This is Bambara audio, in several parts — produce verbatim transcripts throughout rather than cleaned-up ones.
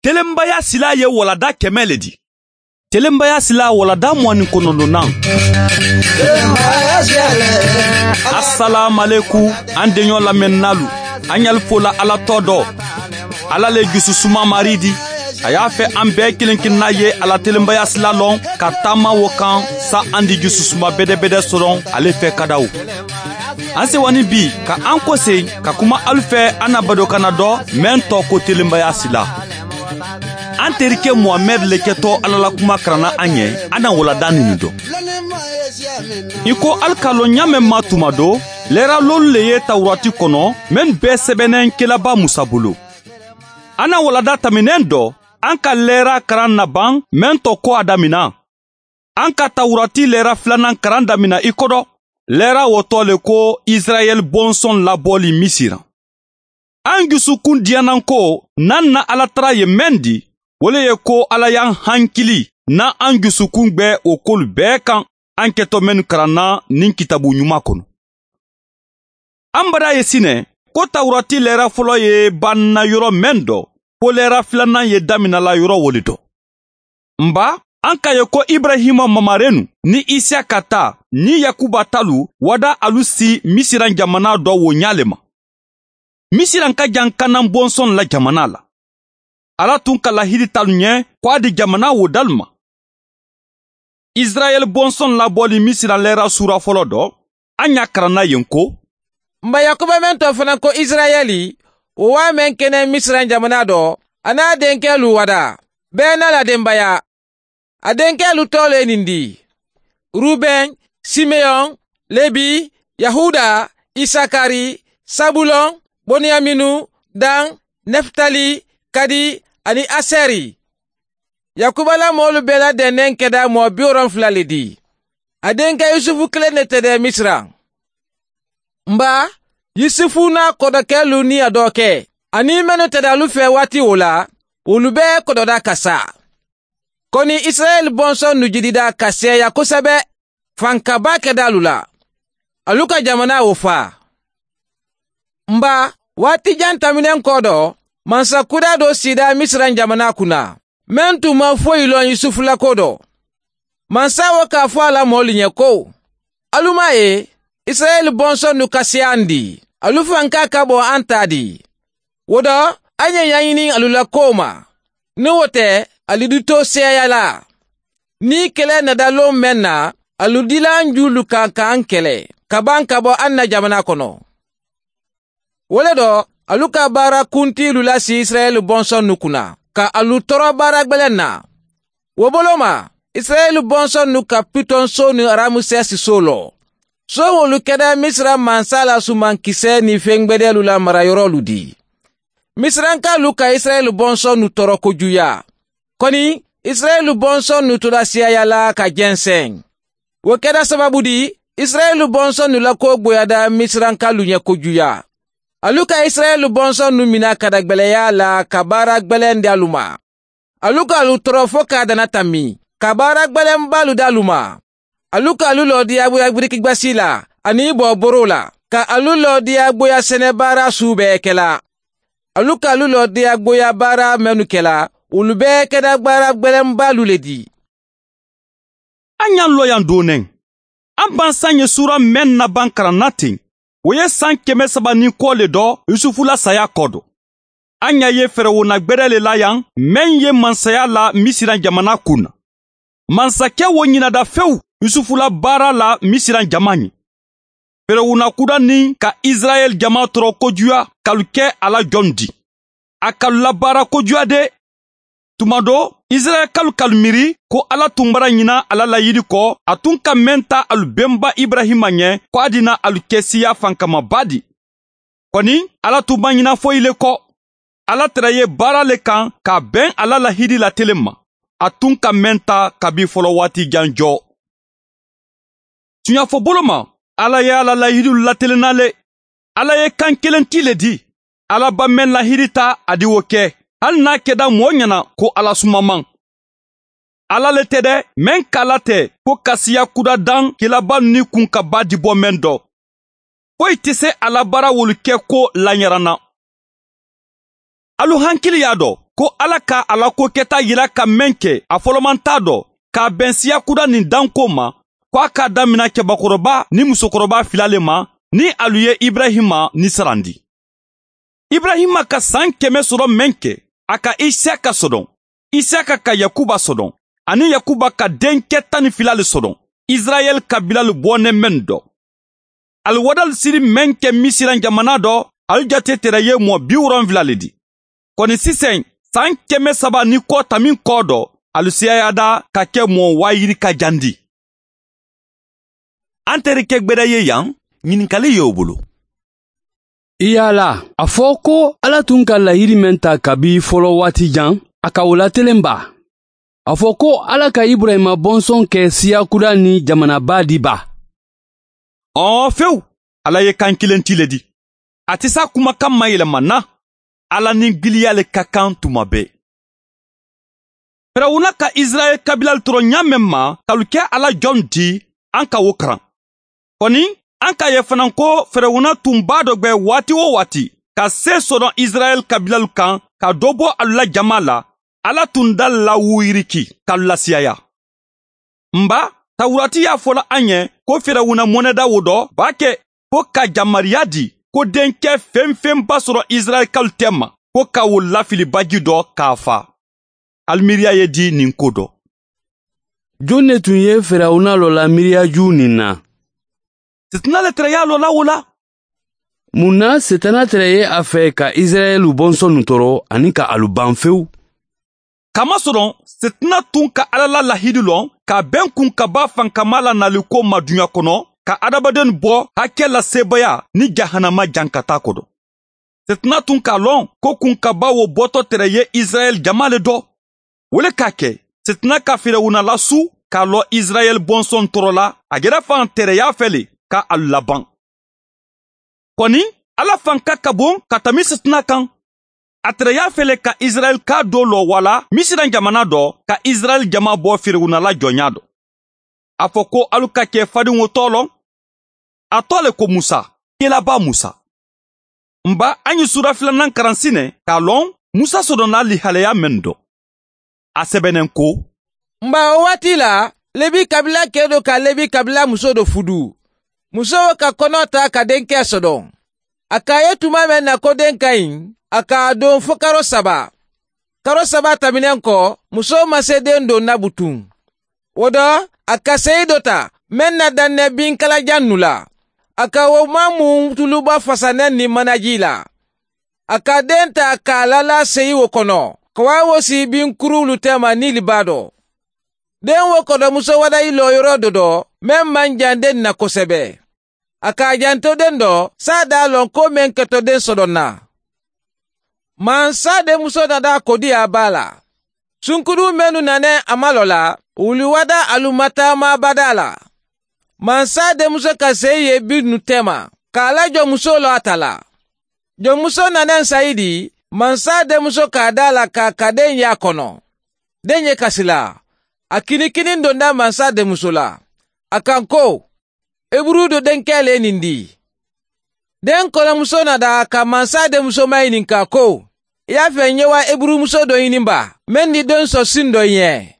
Telenbaya sila ye walada kɛmɛ le di. Telenbaya sila walada mugan ni kɔnɔntɔnnan. Asalaamaleku an denɲɔ lamɛnnalu. An y'al fola Ala tɔ dɔ. Ala le jususuma mari di. A y'a fɛ an bɛɛ kelen kelenna ye Ala telenbaya sila lɔn ka taama wo kan sa an di jususuma bɛdɛbɛdɛ sɔrɔ ale fɛ kadaw. An sewani bi ka an kɔsen ka kuma alu fɛ an na badokana dɔ mɛn tɔ ko telenbaya sila. An terikɛ Muhamɛd le kɛtɔ Ala la kuma karanna an ɲɛ an na walada nin dɔn. I ko alu k'a lɔn ɲa mɛn ma tuma do lɛra lolu le ye Tawurati kɔnɔ mɛn bɛɛ sɛbɛnnen kelaba Musa bolo. An na walada taminɛn dɔ an ka lɛra karan na ban mɛn tɔ ko a damina. An ka Tawurati lɛra filanan karan damina i kɔdɔ. Lɛra wotɔ le ko Israɛl bɔnsɔn labɔli Misira. An dusukun diyanan ko n'an na Ala tara ye mɛn di, o le ye ko Ala y'an hankili n'an an dusukun gbɛ o kolu bɛɛ kan an kɛtɔ mɛnnu karanna nin kitabu ɲuman kɔnɔ. An bara ye sinɛ ko Tawurati lɛra fɔlɔ ye banna yɔrɔ mɛn dɔ, ko lɛra filanan ye daminala yɔrɔ wole dɔ. Nba an ka ye ko Ibrahima mamarenu ni Isiyaka ta ni Yakuba talu wada alu si Misiran jamana dɔ wo ɲa le ma. Misiran ka jan Kanan bɔnsɔn la jamana la. Ala tun ka lahidi talu ɲɛ ko a di jamana wo dalu ma. Israɛl bɔnsɔn labɔli Misiran lɛra sura fɔlɔ dɔ, an y'a karanna yen ko Nba Yakuba mɛn tɔ fana ko Israɛli, o waa mɛn kɛnɛ Misiran jamana dɔ, a n'a denkɛ lu wada, bɛɛ n'a la denbaya. A denkɛ lu tɔ le nin di: Ruben, Simeon, Lebi, Yahuda, Isakari, Sabulon, Boniyaminu, Dan, Neftali, Kadi ani Aseri. Yakuba la mɔɔlu bɛɛ ladɛnnen kɛda mɔɔ bi wolonfila le di. A denkɛ Yusufu kelen de tɛ dɛ Misira. Nba Yusufu n'a kɔdɔkɛlu ni a dɔkɛ ani mɛnnu tɛ alu fɛ waati o la, olu bɛɛ kɔdɔda ka sa. Kɔni Israɛl bɔnsɔn nu jidida ka sɛya kosɛbɛ, fankaba kɛda alu la. Alu ka jamana o fa. Nba waati jan taminen kɔ dɔ, mansakuda dɔ sida Misira jamana kunna, mɛn tun ma foyi lɔn Yusufu la ko dɔ. Mansa wo k'a fɔ a la mɔɔlu ɲɛ ko, alu m'a ye, Israɛl bɔnsɔn nu ka se an di, alu fanka ka bɔ an ta di. O dɔ, an ye ɲaɲini alu la kow ma. Ni o tɛ, alu di to sɛya la. Ni kɛlɛ nada lon mɛn na, alu dila an julu kan k'an kɛlɛ, ka ban ka bɔ an na jamana kɔnɔ. O le dɔ, alu ka baara kuntilu lasi Israɛl bɔnsɔn nu kunna, ka alu tɔɔrɔ baara gwɛlɛn na. O bolo ma, Israɛl bɔnsɔn nu ka Pitɔn so ni Ramusɛsi so lɔ. So wolu kɛda Misira mansa la sumankisɛ ni fɛn gwɛdɛlu la marayɔrɔlu di. Misirankalu ka Israɛl bɔnsɔn nu tɔɔrɔ kojuya. Kɔni, Israɛl bɔnsɔn nu tora siyaya la ka jɛnsɛn. O kɛra sababu di, Israɛl bɔnsɔn nu la ko gboyada Misirankalu ɲɛ kojuya. Alu ka Israɛl bɔnsɔn nu mina ka da gwɛlɛya la ka baara gwɛlɛn di alu ma. Alu ka alu tɔɔrɔ fo k'a dana tami, ka baara gwɛlɛnbalu di alu ma. Alu ka alu lɔ diyagoya birikigwasi la ani bɔ boro la, ka alu lɔ diyagoya sɛnɛbaara su bɛɛ kɛla. Alu ka alu lɔ diyagoya baara mɛnnu kɛla, olu bɛɛ kɛra baara gwɛlɛnbalu le di. An y'an lɔ yan donnɛn. An bansan ye sura mɛn na ban karanna ten. O ye san kɛmɛ saba ni kɔ le dɔ Yusufu la saya kɔ dɔ. An y'a ye fɛrɛwona gwɛrɛ le la yan mɛn ye mansaya la Misira jamana kun na. Mansakɛ wo ɲinada fewu Yusufu la baara la Misira jama ɲɛ. Fɛrɛwona kuda ni ka Israɛl jama tɔɔrɔ kojuya k'alu kɛ a la jɔn di. A k'alu la baara kojuya de. Tuma dɔ, Israɛlkalu k'alu miiri ko Ala tun bara ɲina a la layidi kɔ, a tun ka mɛn ta alu bɛnba Ibrahima ɲɛ ko a dina alu kɛ siya fankamaba di. Kɔni, Ala tun ma ɲina foyi le kɔ. Ala tɛrɛ ye baara le kan ka bɛn a la lahidi la telen ma. A tun ka mɛn ta kabi fɔlɔ waati jan jɔ. Tuɲafɔ bolo ma, Ala ye a la lahidiw latelenna le. Ala ye kan kelen ti le di. Ala ba mɛn lahidi ta a di o kɛ, hali n'a kɛda mɔɔ ɲɛna ko Ala sumaman. Ala le tɛ dɛ, mɛn kala tɛ ko kasiya kuda dan kelaba ni kun ka ba di bɔ mɛn dɔ. Foyi tɛ se a la baara wolu kɛ ko laɲaranna. Alu hankili y'a dɔn ko Ala ka ala ko kɛta yira ka mɛn kɛ a fɔlɔman t'a dɔ k'a bɛn siya kuda nin danko ma, ko a k'a damina cɛbakɔrɔba ni musokɔrɔba fila le ma ni alu ye Ibrahima ni sarandi. Ibrahima ka san kɛmɛ sɔrɔ mɛn kɛ, a ka Isaka sɔdɔn, Isaka ka Yakuba sɔdɔn, ani Yakuba ka denkɛ tan ni fila le sɔdɔn, Israɛl kabila le bɔnɛ mɛn dɔ. Aliwadal siri mɛn kɛ Misiran jamana dɔ, alu jate tɛrɛ ye mɔ bi wolonfila le di. Kɔni sisan san kɛmɛ saba ni kɔ tamin kɔ dɔ, alu siyayada ka kɛ mɔ wayiri ka jandi. An terikɛ gbɛdɛ ye yan, ɲininkali y'o bolo. I yala a fɔ ko Ala tun ka lahiri mɛn ta kabi fɔlɔ waati jan, a ka o latelen ba. A fɔ ko Ala ka Ibrahima bɔnsɔn kɛ siya kura ni jamanaba di ba. Ɔɔ fewu, Ala ye kan kelen ti le di. A tɛ s'a kumakan ma yɛlɛma na. Ala ni giliya le ka kan tuma bɛɛ. Firawuna ka Israɛl kabila tɔrɔ ɲa mɛn ma, k'alu kɛ Ala jɔn di, an ka o karan. Kɔni, an k'a ye fana ko Firawuna tun b'a dɔ gbɛ waati o waati ka se sɔrɔ Israɛl kabilalu kan ka dɔ bɔ alu la jama la, Ala tun da lawuyiriki k'alu lasiyaya. Nba, Tawurati y'a fɔla an ye ko Firawuna mɔnɛda wo dɔ b'a kɛ ko ka jamariya di ko denkɛ fɛn fɛn ba sɔrɔ Israɛlkalu tɛ ma, ko ka wo lafili baji dɔ k'a fa. Alimiiriya ye di nin ko dɔ. Jon ne tun ye Firawuna lɔ la miiriyaju nin na? Setana le tɛrɛ y'a lɔ la o la. Mun na Setana tɛrɛ ye a fɛ ka Israɛlu bɔnsɔnnu tɔɔrɔ ani ka alu ban fewu? Kamasɔrɔ Setana tun ka Ala la lahidu lɔn ka bɛn kun ka ba fankama la naliko ma duɲa kɔnɔ, ka adamaden bɔ hakɛ la sebaya ni jahanama jankata kɔdɔ. Setana tun k'a lɔn ko kun ka ba wo bɔtɔ tɛrɛ ye Israɛl jama le dɔ. O le k'a kɛ Setana ka Firawuna lasu k'a lɔ Israɛl bɔnsɔn tɔɔrɔ la, a yɛrɛ fan tɛrɛ y'a fɛ le ka alu laban. Kɔni, Ala fanka ka bon ka tɛmɛ Setana kan. A tɛrɛ y'a fɛ le ka Israɛl ka dɔ lɔ wala Misiran jamana dɔ ka Israɛl jama bɔ Firawuna la jɔnya dɔ. A fɔ ko alu ka kɛ fadenw tɔ lɔ. A tɔ le ko Musa, kelaba Musa. Nba an ye sura filanan karan sinɛ k'a lɔn Musa sɔrɔna lihalaya mɛn dɔ. A sɛbɛnnen ko: Nba o waati la, Lebi kabila kɛ dɔ ka Lebi kabila muso dɔ fudu. Muso ka kɔnɔ ta ka denkɛ sɔrɔ. A k'a ye tuma mɛn na ko den ka ɲi, a k'a don fo karo saba. Karo saba tɛmɛnen kɔ, muso ma se den don nabutun. O dɔ, a ka seyi dɔ ta mɛn na danɛ binkalajan nu la. A ka o ma mun tuluba fasanɛ ni manaji la. A ka den ta k'a lala seyi o kɔnɔ, ka wa wo si binkurulu tɛma Nili ba dɔ. Den wo kɔdɔmuso wada i lɔ yɔrɔ dɔ dɔ, mɛn man jan den na kosɛbɛ. A k'a janto den dɔ, sa d'a lɔn ko mɛn kɛtɔ den sɔrɔ na. Mansa denmuso nana kodi a ba la. Sunkuru mɛnu nanɛ a ma lɔ la, wuli wada alu ma taama bada la. Mansa denmuso ka se ye bi nu tɛma, k'a lajɔ muso lɔ a ta la. Jɔnmuso nanɛ sayidi, mansa denmuso k'a da la k'a ka den y'a kɔnɔ. Den ye kasi la. A kinikini donda mansa denmuso la. A kan ko, Eburu do denkɛ le nin di. Den kɔnɔmuso nana ka mansa denmuso ma ɲininka ko, i y'a fɛ n ye wa Eburumuso dɔ ɲini ba, mɛn ni den sɔn sin dɔ ɲɛ.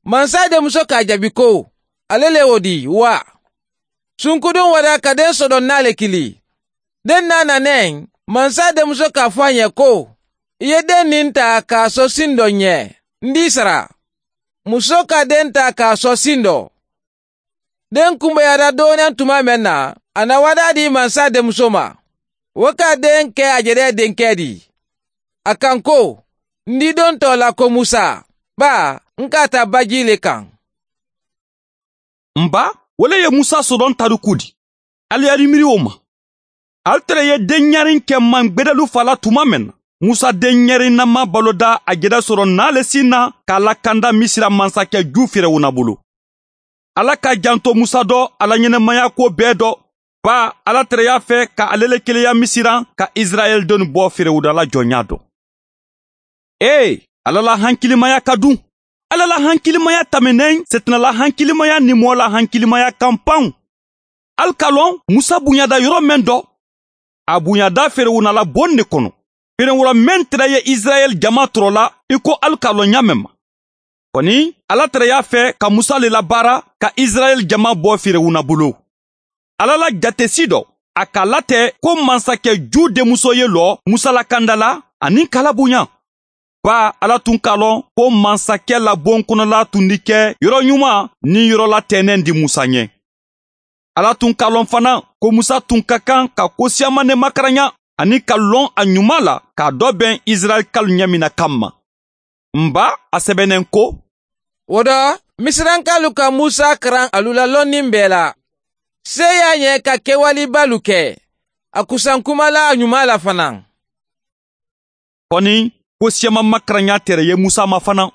Mansa denmuso k'a jaabi ko, ale le o di wa. Sunkudun wada ka den sɔrɔ n'ale kili. Den n'a nanɛ, mansa denmuso k'a fɔ a ɲɛ ko, i ye den nin ta k'a sɔn sin dɔ ɲɛ, n d'i sara. Muso ka den ta k'a sɔn sin dɔ. Den kunbayara dɔɔnin tuma mɛn na, a na wada di mansa denmuso ma. O ka den kɛ a yɛrɛ denkɛ di. A kan ko, n di don tɔ la ko Musa, ba n ka taa baji le kan. Nba, o le ye Musa sɔrɔ tariku di. Ali yari miiri o ma. Al tɛrɛ ye den ɲarin kɛ mangbɛdɛlu fa la tuma mɛn na. Musa den ɲarin na ma balo da a jɛrɛ sɔrɔ n'ale sin na k'a lakanda Misira mansakɛ ju Firawuna bolo. Ala ka janto Musa dɔ ala ɲɛnɛmaya ko bɛɛ dɔ. Ba Ala tɛrɛ y'a fɛ ka ale le keleya Misiran ka Israɛl denw bɔ Firawuna la jɔnya dɔ. Ee, Ala la hankilimaya ka dun. Ala la hankilimaya tɛmɛnen Setana la hankilimaya ni mɔɔ la hankilimaya kan panw. Al ka lɔn Musa bonyada yɔrɔ mɛn dɔ. A bonyada Firawuna la bon de kɔnɔ. Firenwura mɛn tɛrɛ ye Israɛl jama tɔrɔ la i ko alu k'a lɔn ɲa mɛn ma. Kɔni Ala tɛrɛ y'a fɛ ka Musa le labaara ka Israɛl jama bɔ Firewuna bolo. Ala la jatesi dɔ, a k'a latɛ ko mansakɛ ju denmuso ye lɔ Musa la kanda la ani k'a labonya. Ba Ala tun k'a lɔn ko mansakɛ la bon kɔnɔla tun di kɛ yɔrɔ ɲuman ni yɔrɔ latɛnɛn di Musa ɲɛ. Ala tun k'a lɔn fana ko Musa tun ka kan ka ko siyaman ne makaranya ani ka lɔn a ɲuman la k'a dɔ bɛn Israɛl kalu ɲɛmina kanma. Nba a sɛbɛnnen ko: O dɔ, Misirankalu ka Musa karan alu la lɔnni bɛɛ la. Se y'a ɲɛ ka kɛwalebalu kɛ. A kusan kuma la a ɲuman la fana. Kɔni ko siyaman makaranya tɛrɛ ye Musa ma fana.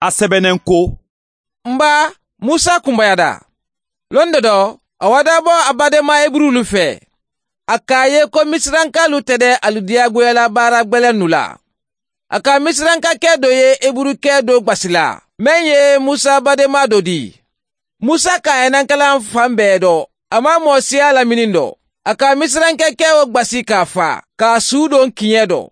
A sɛbɛnnen ko: Nba Musa kunbayada. Lon dɔ dɔ, a wada bɔ a badenma Eburulu fɛ. A k'a ye ko Misirankalu tɛ dɛ alu diyagoyala baara gbɛlɛnnu la. A ka Misirankakɛ dɔ ye Eburukɛ dɔ gbasila, mɛn ye Musa badenma dɔ di. Musa ka ɛnankalan fan bɛɛ dɔ, a ma mɔ siya lamini dɔ. A ka Misirankɛkɛ o gbasi k'a fa, k'a su don kiɲɛ dɔ.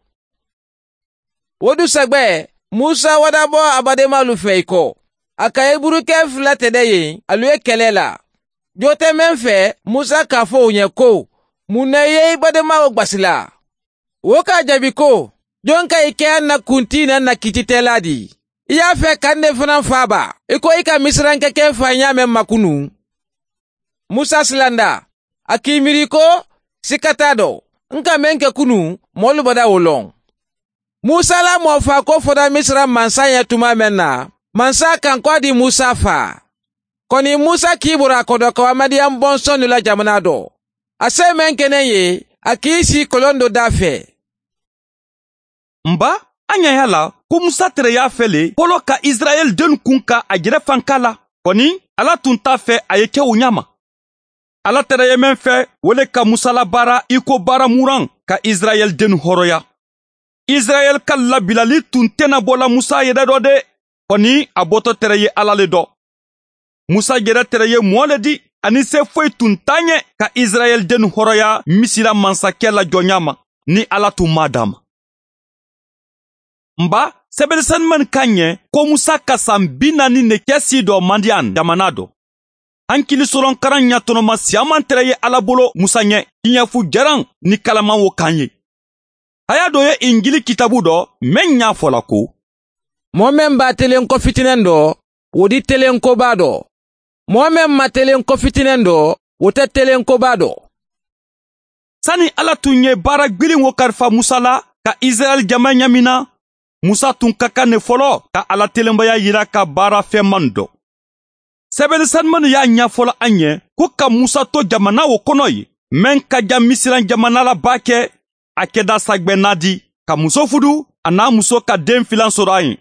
O dusagbɛ, Musa wada bɔ a badenmalu fɛ i kɔ. A ka Eburukɛ fila tɛ dɛ yen, alu ye kɛlɛ la. Jo tɛ mɛn fɛ, Musa k'a fɔ o ɲɛ ko: mun na i ye i badenmaw gbasila? O k'a jaabi ko: jɔn ka i kɛ an na kunti na na kititɛla di? I y'a fɛ ka ne fana fa ba, i ko i ka Misirankɛkɛ fa ɲa mɛn makunu. Musa silanda, a k'i miiri ko sika t'a dɔ, n ka mɛn kɛ kunu, mɔlu bada o lɔn. Musa la mɔfa ko fɔra Misira mansa ɲɛ tuma mɛn na, mansa kan kɔ di Musa fa. Kɔni Musa k'i bɔra a kɔdɔ ka Amadiyan bɔnsɔn la jamana dɔ. A se mɛn kɛnɛ ye, a k'i si kɔlɔn dɔ da fɛ. Nba an ɲɛ y'a la ko Musa tɛrɛ y'a fɛ le fɔlɔ ka Israɛl den kun ka a jɛrɛ fanka la. Kɔni Ala tun t'a fɛ a ye kɛ o ɲa ma. Ala tɛrɛ ye mɛn fɛ o le ka Musa labaara i ko baara muran ka Israɛl den hɔrɔnya. Israɛl ka labilali tun tɛna bɔla Musa yɛrɛ dɔ dɛ. Kɔni a bɔtɔ tɛrɛ ye Ala le dɔ. Musa yɛrɛ tɛrɛ ye mɔɔ le di ani se foyi tun t'a ɲɛ ka Israɛl den hɔrɔnya Misira mansakɛ la jɔnya ma ni Ala tun m'a d'a ma. Nba sɛbɛnnisanuman ka ɲɛ ko Musa ka san bi naani ne kɛ si dɔ Madiyan jamana dɔ. Hankili sɔrɔ karan ɲatɔnɔma siyaman tɛrɛ ye Ala bolo Musa ɲɛ kiɲɛfu jaran ni kalaman wo kan ye. Haya dɔ ye Injili kitabu dɔ mɛn ɲa fɔla ko: mɔɔ mɛn b'a telen ko fitinɛn dɔ, o di telen koba dɔ. Mɔɔ mɛn ma telen ko fitinɛn dɔ, o tɛ telen koba dɔ. Sani Ala tun ye baara gbilen wo kalifa Musa la ka Israɛl jama ɲamina, Musa tun ka kan ne fɔlɔ ka Ala telenbaya yira ka baara fɛnman dɔ. Sɛbɛnnisanuman y'a ɲɛfɔla an ɲɛ ko ka Musa to jamana o kɔnɔ ye, mɛn ka ja Misiran jamana la ba kɛ, a kɛda sagbɛnna di, ka muso fudu, a n'a muso ka den filan sɔrɔ a ye.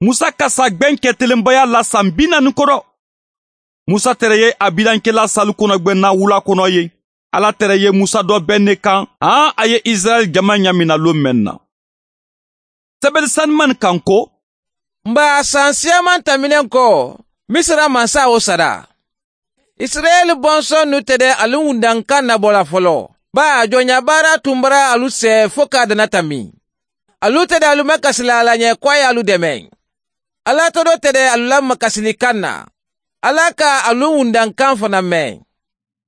Musa ka sagbɛn kɛ telenbaya la san bi naani kɔrɔ. Musa tɛrɛ ye a bilankɛla salu kɔnɔgbɛnna wula kɔnɔ ye. Ala tɛrɛ ye Musa dɔ bɛn ne kan, an a ye Israɛl jama ɲamina lon mɛn na. Sɛbɛnnisanuman kan ko: Nba san siyaman tɛmɛnen kɔ, Misira mansa o sara. Israɛl bɔnsɔn nu tɛ dɛ alu wundankan nabɔla fɔlɔ. Ba jɔnya baara tun bara alu sɛ fo k'a dana tami. Alu tɛ dɛ alu makasila Ala ɲɛ ko a y'alu dɛmɛ. Ala tɔdɔ tɛ dɛ alu la makasilikan na. Ala ka alu wundankan fana mɛn.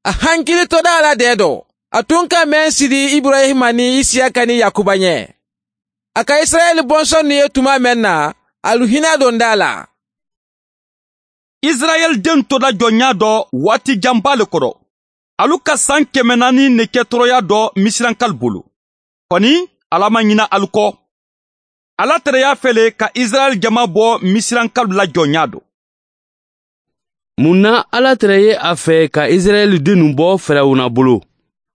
A hankili tɔda Ala dɛ dɔ. A tun ka mɛn sidi Ibrahima ni Isiyaka ni Yakuba ɲɛ. A ka Israɛl bɔnsɔn nu ye tuma mɛn na, alu hinɛ don da la. Israɛl den tola jɔnya dɔ waati janba le kɔrɔ. Alu ka san kɛmɛ naani ne kɛ tɔɔrɔya dɔ Misirankal bolo. Kɔni Ala ma ɲina alu kɔ. Ala tɛrɛ y'a fɛ le ka Israɛl jama bɔ Misirankal la jɔnya dɔ. Mun na Ala tɛrɛ ye a fɛ ka Israɛl dennu bɔ Firawuna bolo?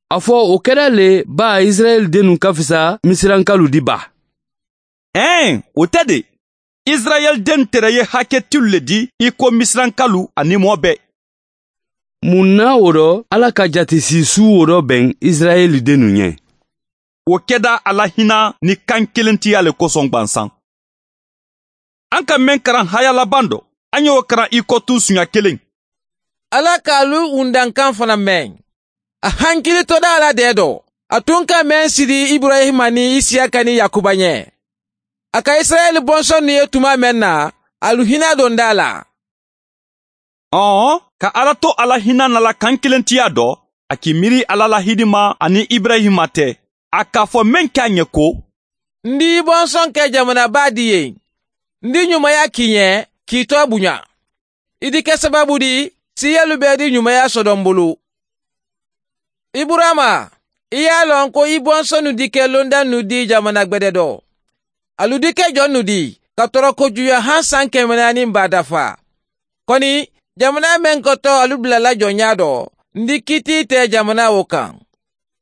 A fɔ o kɛra le ba Israɛl dennu ka fisa Misirankalu di ba. Ɛn, o tɛ de. Israɛl den tɛrɛ ye hakɛtilu le di i ko Misirankalu ani mɔɔ bɛɛ. Mun na o rɔ Ala ka jatesi su o rɔ bɛn Israɛl dennu ɲɛ? O kɛda Ala hinɛ ni kan kelentiya le kosɔn gwansan. An ka mɛn karan haya laban dɔ, an y'o karan i kɔtu suɲa kelen. Ala k'alu wundankan fana mɛn. A hankili tɔda Ala dɛ dɔ. A tun ka mɛn sidi Ibrahima ni Isiyaka ni Yakuba ɲɛ. A ka Israɛl bɔnsɔn ye tuma mɛn na, alu hinɛ don da la. Ɔn, ka Ala to ala hinɛ nala kan kelentiya dɔ, a k'i miiri Ala la hidima ani Ibrahima tɛ. A k'a fɔ mɛn k'a ɲɛ ko, n di bɔnsɔn kɛ jamanaba di ye. N di ɲumanya k'i ɲɛ, k'i tɔ bonya. I di kɛ sababu di, siyalu bɛɛ di ɲumanya sɔdɔ n bolo. Iburama, i y'a lɔn ko i bɔnsɔnnu di kɛ londa nu di jamana gbɛdɛ dɔ. Alu di kɛ jɔn nu di, ka tɔrɔ kojuya han san kɛmɛ naani ba dafa. Kɔni, jamana mɛn kɔtɔ alu bilala jɔnya dɔ, n di kiti tɛ jamana o kan.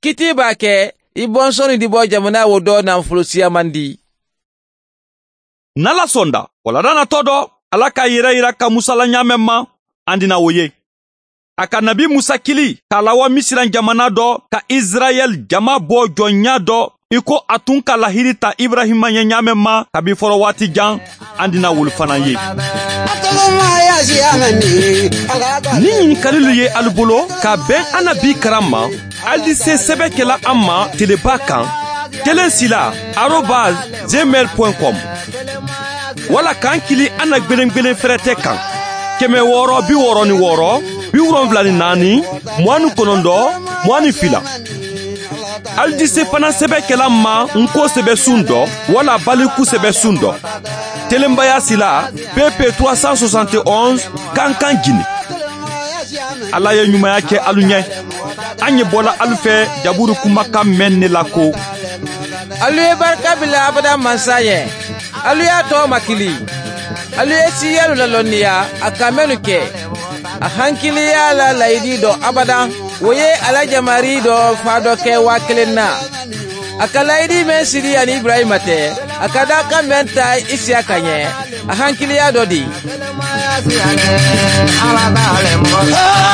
Kiti b'a kɛ, i bɔnsɔnnu di bɔ jamana o dɔ nafolo siyaman di. N'Ala sɔnda, walada natɔ dɔ, Ala k'a yɛrɛ yira ka Musa la ɲaamɛ ma, an dina o ye. A ka nabi Musa kili k'a lawa Misiran jamana dɔ ka Israɛl jama bɔ jɔnya dɔ, i ko a tun ka lahiri ta Ibrahima ɲɛ ɲaamɛ ma kabi fɔlɔ waati jan, an dina wolu fana ye. Ni ɲininkalilu ye alu bolo ka bɛn an na bi karan ma, alu di se sɛbɛ kɛla an ma teleba kan, kelen sila arobase gmail point com wala k'an kili an na gwelen-gwelen fɛrɛtɛ kan kɛmɛ wɔɔrɔ bi wɔɔrɔ ni wɔɔrɔ bi wolonfila ni naani mugan ni kɔnɔntɔn mugan ni fila. Alu di se fana sɛbɛ kɛla ma nko sɛbɛ sun dɔ wala baliku sɛbɛ sun dɔ. Telenbaya sila P P trois cent soixante et onze Kankan Guinée. Ala ye ɲumanya kɛ alu ɲɛ. An ye bɔla alu fɛ jaburu kumakan mɛn ne la ko. Alu ye barika bila abada mansa ye. Alu y'a tɔ makili. Alu ye siyalu lalɔnniya a ka mɛnnu kɛ. A hankiliya la layidi dɔ abadan. O ye ala jamari dɔ fa dɔ kɛ waa kelen na. A ka layidi mɛn sidi ani Ibrahima tɛ. A ka da kan mɛn ta Isiyaka ɲɛ. A hankiliya dɔ di. Ala b'ale mɔgɔ.